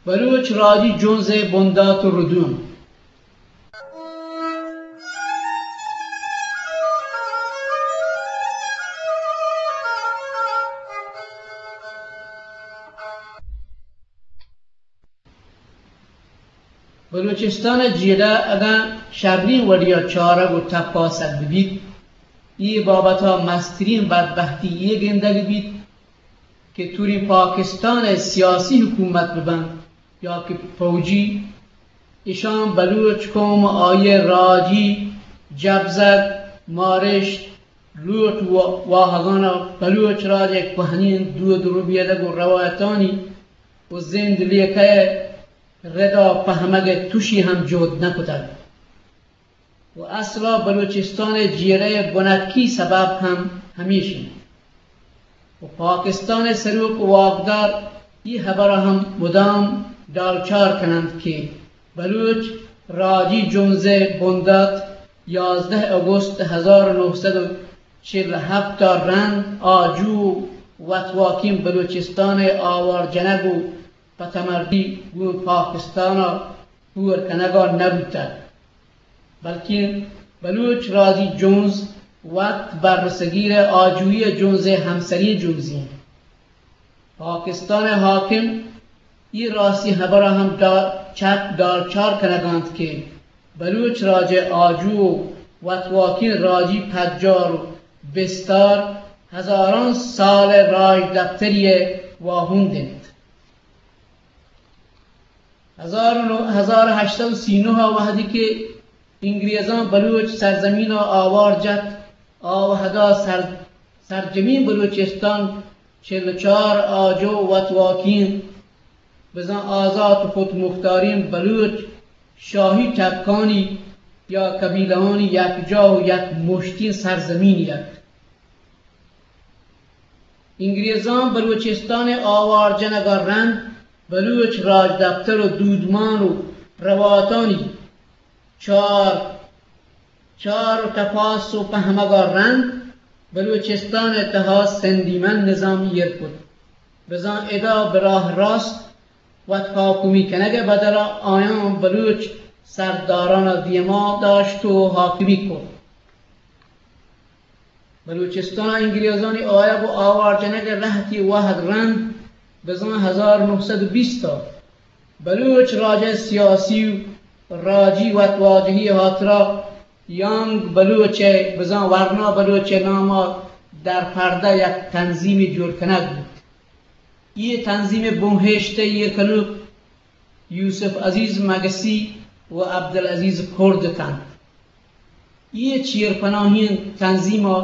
بلوچ راجی جنز ءِ بندات ءُ ردوم۔ بلوچستان ءِ جیڑہ اگاں شریں وڑے ءَ چارگ ءُ تپاسگ بہ بیت، اے بابت ءَ مستریں بدبہتی اے گندگ بیت کہ توری پاکستان ءِ سیاسی حکومت بہ بنت یا کہ پوجی، اشاں بلوچ قوم ءُ آئی ءِ راجی جبزگ، مارشت، لوٹ ءُ واہگان ءَ بلوچ راج ءِ کوہنیں دود ءُ ربیدگ ءُ روایتانی ءُ زند لیکہ ءِ رد ءَ پہمگ ءِ تشے ہم جہد نہ کتگ۔ ءُ اصل ءَ بلوچستان ءِ جیڑہ ءِ بنکی سبب ہم ہمیش انت۔ ءُ پاکستان ءِ سروک ءُ واکدار اے ہبر ءَ ہم مدام ڈالچار کن انت کہ بلوچ راجی جنز ءِ بندات یازدہ اگست ہزار نو سد ءُ چل ءُ ہپت ءَ رند آجو ءُ وتواکیں بلوچستان ءِ آوار جنگ ءُ پہ تمردی گوں پاکستان ءَ ہور کنگ ءَ نہ بوتگ، بلکیں بلوچ راجی جنز وت برصغیر ءِ آجوئی ءِ جنز ءِ ہمسریں جنزے انت۔ پاکستان ءِ حاکم اے راستی ہبر ءَ ہم ڈا-، چک ڈالچار کنگ ءَ انت کہ بلوچ راج ءِ آجو ءُ وتواکیں راجی پجار ءُ بستار ہزاراں سال ءِ راجدپتری ءِ واہند انت۔ ہزار نو، ہزار ہشت سد سی نو ءَ وہدی کہ انگریزاں بلوچ سرزمین ءَ آوار جت، آ وہدا سر-، سرجمیں بلوچستان چل ءُ چار آجو وتواکیں بزاں آزات ءُ خودمختاریں بلوچ شاہی ٹکانی یا قبیلہانی یکجاہ ءُ یک مشتیں سرزمین ات۔ انگریزاں بلوچستان ءِ آوار جنگ ءَ رند بلوچ راجدپتر ءُ دودمان ءُ رواتانی چار، چار ءُ تپاس ءُ پہمگ ءَ رند بلوچستان ءِ تہا سندیمن نظام ایر کت۔ بزاں ادا براہ راست وت حاکمی کنگ ءِ بدل ءَ آیاں بلوچ سرداران ءَ دیما داشت ءُ حاکمی کت۔ بلوچستان ءَ انگریزانی آیگ ءُ آوار جنگ ءِ لہتے وہد رند بزاں ہزار نو سد ءُ بیست ءَ بلوچ راج ءِ سیاسی ءُ راجی وتواجہی ءِ ہاترا یانگ بلوچ ءِ بزاں ورنا بلوچ ءِ نام ءَ در پردہ یک تنظیمے جوڑ کنگ بوت۔ اے تنظیم ءِ بنہشت ءُ ایر کنوک یوسف عزیز مگسی ءُ عبدالعزیز کرد اتنت۔ اے چیرپناہیں تنظیم ءَ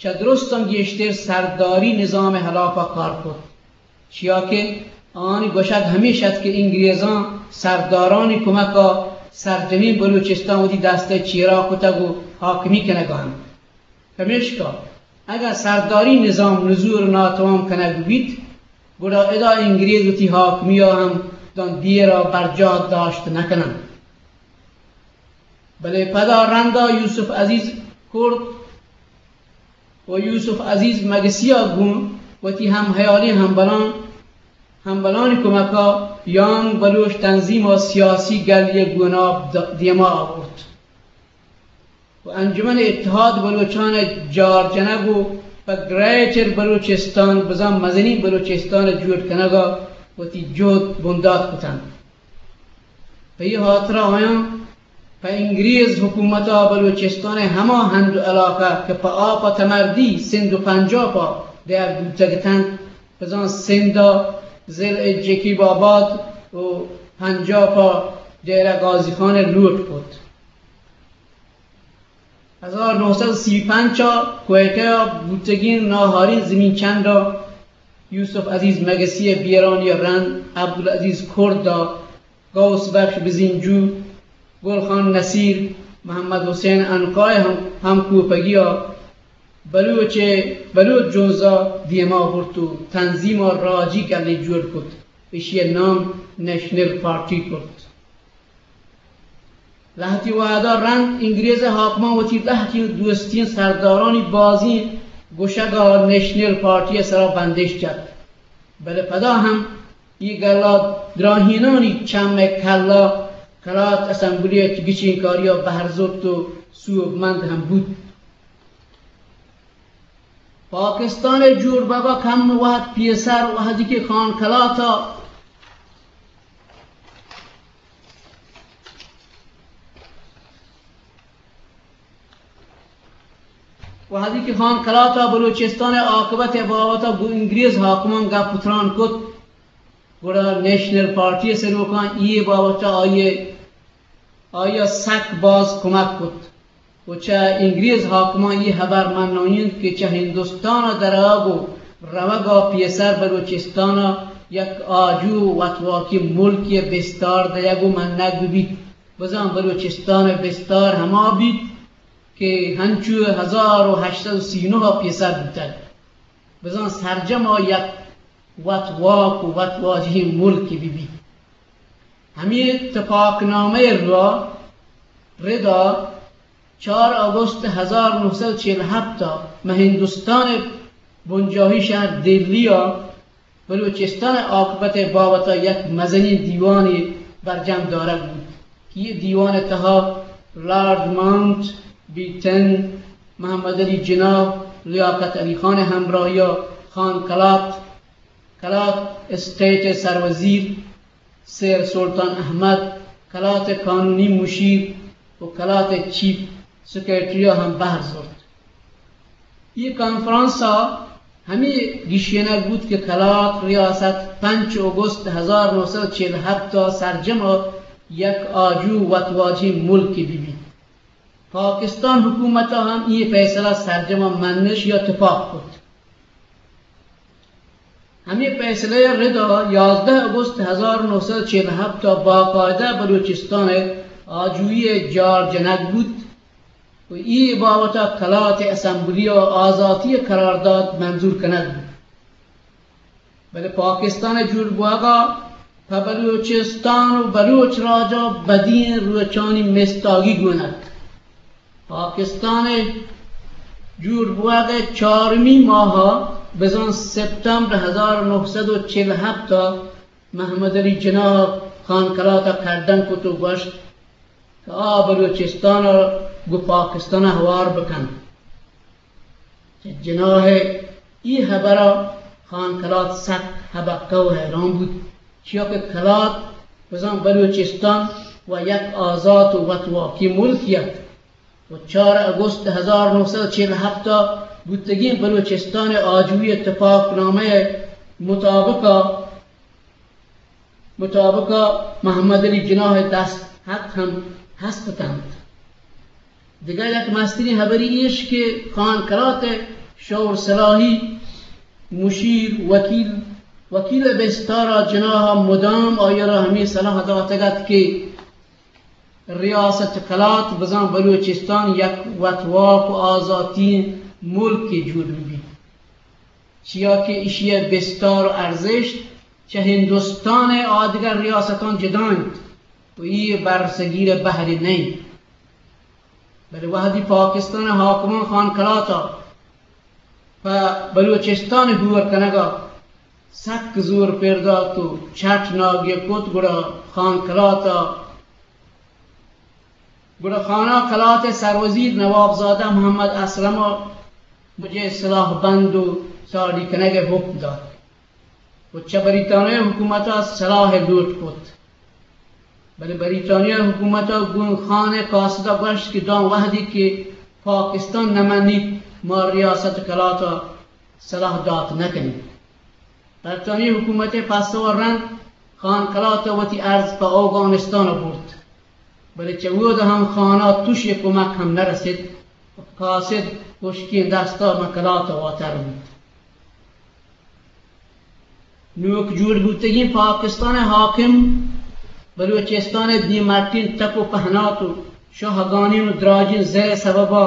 چہ درستاں گیشتر سرداری نظام ءِ ہلاپ ءَ کار کت، چیا کہ آہانی گوشگ ہمیش ات کہ انگریزاں سردارانی کمک ءَ سرجمیں بلوچستان وتی دست ءِ چیرا کتگ ءُ حاکمی کنگ ءَ انت۔ پمیشکا اگاں سرداری نظام نزور ءُ ناتوام کنگ بیت، گڑا ادا انگریز وتی حاکمی ءَ ہم داں دیر ءَ برجاہ داشت نہ کننت۔ بلے پدا رندا یوسف عزیز کرد ءُ یوسف عزیز مگسی ءَ گوں وتی ہم ہیالیں ہمبلان، ہمبلانی کمک ءَ یانگ بلوچ تنظیم ءَ سیاسی گلی ءِ گوناپ د-، دیما آورت۔ ءُ انجمن اتحاد بلوچان ءِ جار جنگ ءُ پہ گریٹر بلوچستان بزاں مزنیں بلوچستان ءِ جوڑ کنگ ءَ وتی جہد بندات کتنت۔ پہ اے ہاترا آیاں پہ انگریز حکومت ءَ بلوچستان ءِ ہما ہند ءُ علاقہ کہ پہ آپ ءَ تمردی سندھ ءُ پنجاب ءَ دیگ بوتگ اتنت، بزاں سندھ ءَ ضلع جیکب آباد ءُ پنجاب ءَ ڈیرہ غازی خان ءَ لوٹ کت۔ ہزار نو سد سی پنچ ءَ کوئٹہ ءَ بوتگیں ناہاریں زمین چنڈ ءَ یوسف عزیز مگسی ءِ بیرانی ءَ رند عبدالعزیز کرد ءَ، غوث بخش بزینجو، گل خان نصیر، محمد حسین عنقا ءِ ہم، ہمکوپگی ءَ بلوچ ءِ، بلوچ جنز ءَ دیما برت ءُ تنظیم ءَ راجی گلے جوڑ کت، ایشی ءِ نام نیشنل پارٹی کرت۔ لہتے وہدا رند انگریز ءِ حاکماں وتی لہتیں دوستیں سردارانی بازیں گوشگ ءَ نیشنل پارٹی ءِ سرا بندش جت، بلے پدا ہم اے گلا دراہینانی چم ءِ کلا کلات اسمبلی ءِ گچین کاریا بہر زرت و سوبمند ہم بوت۔ پاکستان ءِ جوڑ بوگ ءَ کم وہد پیسر، وہدی کہ خان کلات ءَ وہدی کہ خان کلات ءَ بلوچستان ءِ آکبت ءِ بابت ءَ گوں انگریز حاکمان گپ و تران کت، گڑا نیشنل پارٹی ءِ سروکاں اے بابت ءَ آئی ءَ، آئی ءَ سک باز کمک کت و چہ انگریز حاکمان اے ہبر منائینت کہ چہ ہندوستان ءَ درآیگ و روگ ءَ پیسر بلوچستان ءَ یک آجو و وتواکی ملکے ءِ بستار دئیگ و منگ بہ بیت۔ بزاں بلوچستان ءِ بستار ہما بیت کہ ہنچو ہزار و ہشت سد و سی نہ ءَ پیسر بوتگ، بزاں سرجم ءَ یک وتواک و وتواجہیں ملکے بہ بیت۔ ہمے تپاک نامہ ءِ را، ردا چار اگست ہزار نہ سد چل ہپت ءَ ماں ہندوستان ءِ بنجاہی شہر دلی ءَ بلوچستان ءِ آکبت ءِ بابت ءَ یک مزنیں دیوانے برجم دارگ بوت کہ اے دیوان ءِ تہا لارڈ ماؤنٹ بیٹن، محمد علی جناح، لیاقت علی خان ءِ ہمراہی ءَ خان کلات، کلات اسٹیٹ ءِ سروزیر، سر سلطان احمد، کلات ءِ قانونی مشیر و کلات ءِ چیف سیکرٹری ءَ ہم بہر زرت۔ اے کانفرنس ءَ ہمے گیشینگ بوت کہ کلات ریاست پنچ اگست ہزار نہ سد چل ہپت ءَ سرجم ءَ یک آجو وتواجہیں ملکے بہ بیت۔ پاکستان حکومت ءَ ہم اے پیسلہ سرجم ءَ منش یا تپاک کت۔ ہمے پیسلہ ءِ ردا یازدہ اگست ہزار نہ سد چل ہپت ءَ باقاعدہ بلوچستان ءِ آجوئی ءِ جار جنگ بوت و اے بابت ءَ کلات ءِ اسمبلی ءَ آزاتی ءِ قرارداد منظور کنگ بوت۔ بلے پاکستان ءِ جوڑ بوگ ءَ پہ بلوچستان و بلوچ راج ءَ بدیں روچانی مستاگی گون ات۔ پاکستان ءِ جوڑ بوگ ءِ چارمی ماہ ءَ بزاں سپتمبر ہزار نہ سد و چل ہپت ءَ محمد علی جناح ءَ خان کلات ءَ کڈن کت و گوشت کہ آ بلوچستان ءَ گوں پاکستان ءَ ہوار بکنت۔ چہ جناح ءِ اے ہبر ءَ خان کلات سک ہبکہ و حیران بوت، چیا کہ کلات بزاں بلوچستان و یک آزات و وتواکی ملکے ات و چار اگست ہزار نہ سد چل ہپت ءَ بوتگیں بلوچستان ءِ آجوئی ءِ تپاک نامہ ءِ مطابق ءَ مطابق ءَ محمد علی جناح ءِ دست خط ہم ہست اتنت۔ دگہ یک مستریں ہبرے ایش کہ خان کلات ءِ شور سلاہی مشیر، وکیل، وکیل ءِ بستار ءَ جناح ءَ مدام آئی ءَ را ہمے سلاہ داتگ ات کہ ریاست کلات بزاں بلوچستان یک وتواک و آزاتیں ملکے جوڑ بہ بیت۔ چیا کہ ایشی ءِ بستار و ارزشت چہ ہندوستان ءِ آدگہ ریاستاں جدا انت و اے برصغیر ءِ بہرے نہ انت۔ بلے وہدی پاکستان ءِ حاکماں خان کلات ءَ پہ بلوچستان ءِ ہور کنگ ءَ سک زور پر دات و چٹ ناگی کت، گڑا خان کلات ءَ گڑا خان کلات ءِ سروزیر نوابزادہ محمد اسلم ءَ مجئے سلاہ بند و ساڑی کنگ ءِ حکم دات و چہ بریتانیہ حکومت ءَ سلاہ ءِ لوٹ کت۔ بلے بریتانیہ حکومت ءَ گوں خان ءِ قاصد ءَ گوشت کہ داں وہدی کہ پاکستان نہ منیت، ما ریاست کلات ءَ سلاہ دات نہ کنیں۔ برطانیہ حکومت ءِ پسو ءَ رند خان کلات ءَ وتی ارز پہ اوگانستان ءَ برت، بلے چہ اود ءَ ہم خان ءَ تش ءِ کمک ہم نہ رست۔ قاصد ہشکیں دست ءَ ماں کلات ءَ واتر بوت۔ نوک جوڑ بوتگیں پاکستان ءِ حاکم بلوچستان ءِ دیمٹیں تک و پہنات و شاہگانیں و دراجیں زر ءِ سبب ءَ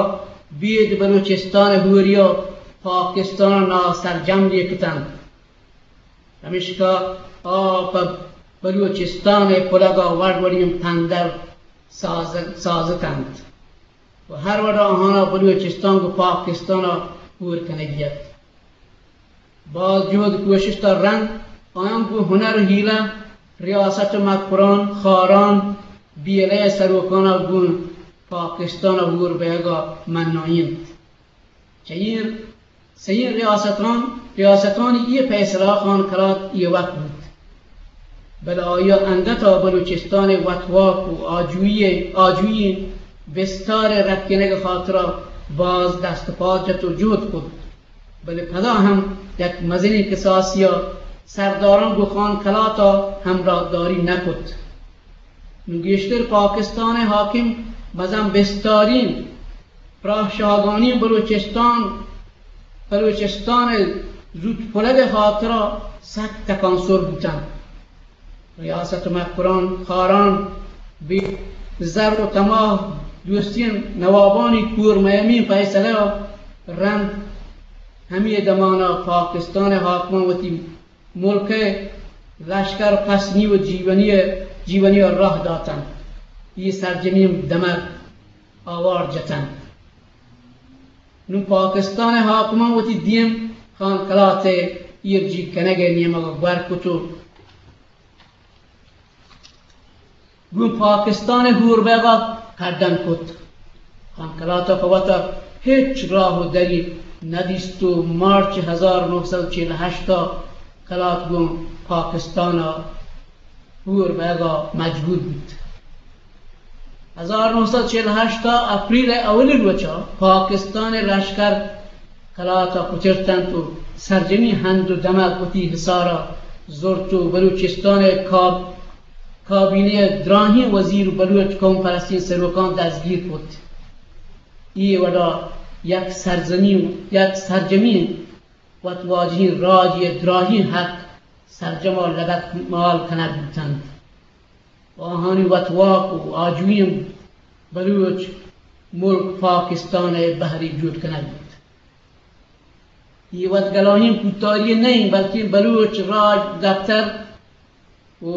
بید بلوچستان ءِ ہوری ءَ پاکستان ءَ ناسرجم لیکتنت۔ پمیشکا آ پہ بلوچستان ءِ پلگ ءَ وڑ وڑیں پندل ساز-، سازتنت و ہر وڑ ءَ آہاں ءَ بلوچستان گوں پاکستان ءَ ہور کنگی ات۔ باز جہد کوشست ءَ رند آیاں گوں ہنر و ہیلہ ریاست و مکران، خاران، بی ایل اے سروکانا گوں پاکستانا ہور بئیگا منائینت۔ چہ اے سئیں ریاستان، ریاستانی اے پیسلہ خان کلات اے وت بوت، بلے آیا انگتا بلوچستان وتواک و آجوئی، آجوئی بستار رکینگ خاطرا باز دست پاد جت و جہد کت، بلے پدا ہم یک مزنیں کساسیا سرداران گوں خان کلاتا ہمراہداری نکت۔ نوں گیشتر پاکستان حاکم مزن بستارین پراہ شاہگانی بلوچستان، بلوچستان زوت پلگ خاطرا سک تکانسر بوتنت۔ ریاست مکران، خاران، بی زر و تماہ دوستین نوابانی کور مئیمی فیصلہ رند ہمی دمانا پاکستان حاکمان وتی ملک ء لشکر پسنی و جیونی ء، جیونی ء راہ داتنت۔ اے سرجمیں دمگ آوار جتنت۔ نوں پاکستان ء حاکماں وتی دیم خان کلات ء ایرجیگ کنگ ء نیمگ ء گور کت و گوں پاکستان ء ہور بئیگا کڈن کت۔ خان کلات ء پہ وتا ہچ راہ و دری ندیست و مارچ ہزار نو سد و چل و ہشت ء کلات گوں پاکستان ء ہور بئیگا مجبور بوت۔ ہزار نو سد و چل و ہشت ء اپریل ء اولی روچا پاکستان ء لشکر کلات ء پترتنت و سرجمی ہند و دمگ وتی حصارا زرت و بلوچستان ء کاب-، کابینہ ء دراہیں وزیر و بلوچ قوم پرستیں سروکاں دزگیر کت۔ اے وڑا یک سرزمین، یک سرجمیں وتواجہیں راجے ء دراہیں حق سرجما لگت مال کنگ بوتنت۔ آہانی وتواک و آجوئیں بلوچ ملک پاکستان ء بہری جوڑ کنگ بوت۔ اے وت گلاہیں کوتاہی نہ انت، بلکیں بلوچ راج دپتر و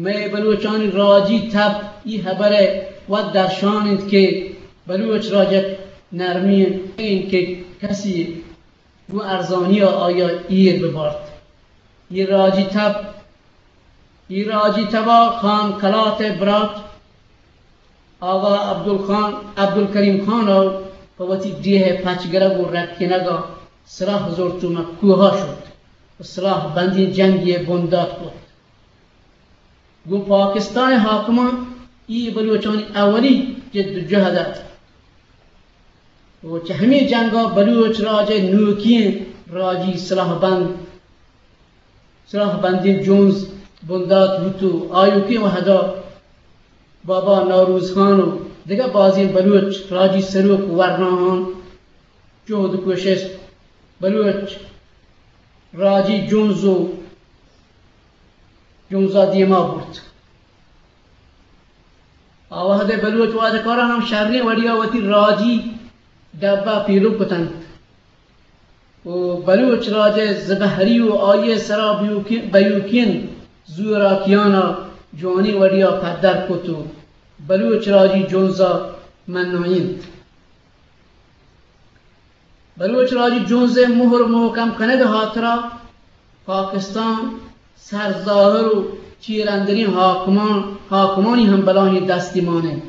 مئے بلوچانی راجی تب اے ہبر ء وت درشان انت کہ بلوچ راج یک نرمی انت کہ کسی گوں ارزانی ء آئی ء ایر بہ بارت۔ اے راجی تب، اے راجی تبا خان کلات ء برات آغا عبدالخان، عبدالکریم خان ء پہ وتی ڈیھ ء پچ گرگ و رکینگ ء سلاہ زرت و مہ کوہ ء شت و سلاہ بندیں جنگے ء بندات کت۔ گوں پاکستان ء حاکماں اے بلوچانی اولی جد و جہد ات و چہ ہمے جنگ ء بلوچ راج ء نوکیں راجی سلاہ بند، سلاہ بندیں جنز بندات بوت و آیوکیں وہدا بابا نوروز خان و دگہ بازیں بلوچ راجی سروک و ورناہاں جہد و کوشست بلوچ راجی جنز و جنزا دیما برت۔ آ وہد ء بلوچ واجکاراں ہم شریں وڑیا وتی راجی ڈبہ پیلو کتنت و بلوچ راج ء زبہری و آئی ء سرا بیوکیں، بیوکیں زوراکیانا جوانیں وڑیا پدر کت و بلوچ راجی جنزا منائینت۔ بلوچ راجی جنز ء مہر مہکم کنگ ء ہاترا پاکستان سرظاہر و چیر اندریں حاکمان، حاکمانی ہم بلاہیں دستی مان انت،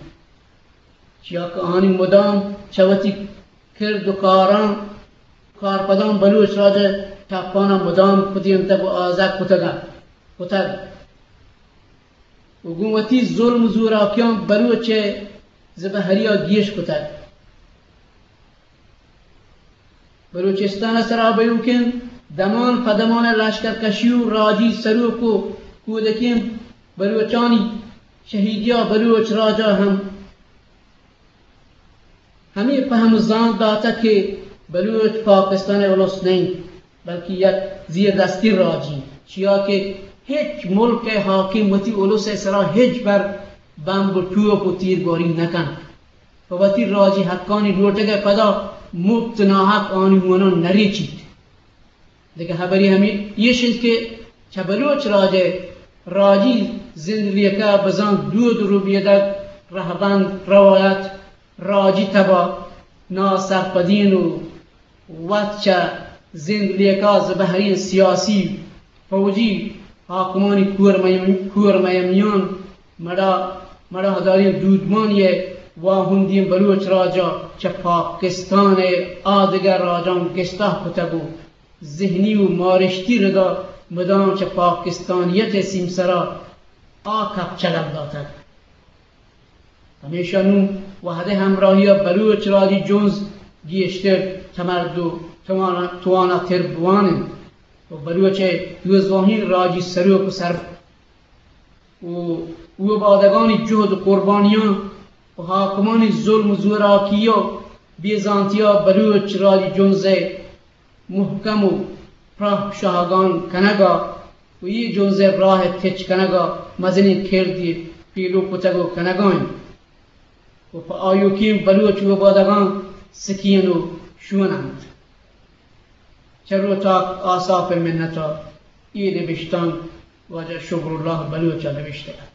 چیا کہ آنی مدام چہ وتی کرد و کاراں، کارپداں بلوچ راج ء ٹپاناں مدام کدینتگ و آزگ کتگ، کتگ و گوں وتی ظلم و زوراکیاں بلوچ ء زبہریا گیش کتگ۔ بلوچستان ء سرا بیوکیں دمان پہ دمان ء لشکر کشی و راجی سروک و کودکیں بلوچانی شہیدیا بلوچ راجا ہم ہمے پہم و زانت داتگ کہ بلوچ پاکستان ء الس نہ انت، بلکیں یک زیردستیں راجی، چیا کہ ہچ ملک ء حاکم وتی الس ء سرا ہچ بر بمب و ٹوپ و تیرگواری نہ کنت۔ پہ وتی راجی حقانی لوٹگ ء پدا مپت ناحق آنی ہوناں نہ ریچیت۔ دگہ ہبرے ہمے ایش انت کہ چہ بلوچ راج ء راجی زند لیکہ بزاں دود و ربیدگ، رہبند، روایت، راجی تبا ناسرپدین و وت چہ زند لیکہ زبہرین سیاسی فوجی حاکمانی کور میم-، کور میمیان مڑا، مڑاہداریں دودمانی ء واہندیں بلوچ راج ء چہ پاکستان ء آدگہ راجاں گستاہ کتگ و ذہنی و مارشتی ردا مدام چہ پاکستانیت ء سیمسرا آ کپچلگ داتگ۔ ہمیشا نوں وہدے ہمراہیا بلوچ راجی جنز گیشتر تمرد و توانا، تواناتر بوان انت و بلوچ ء دوزواہین راجی سروک و سر و اوبادگانی جہد و قربانیاں و حاکمانی ظلم و زوراکی و بے زانتیا بلوچ راجی جنز ء مہکم و پراہ شاہگان کنگا و اے جنز ء راہ ء تچ کنگا مزنیں کردے پیلو کتگ و کنگا انت و پہ آیوکیں بلوچ اوبادگاں سکین و شون انت۔ چر و تاک آساپ ء منتا۔ اے نبشتانک واجہ شکر اللہ بلوچ ء نبشتہ۔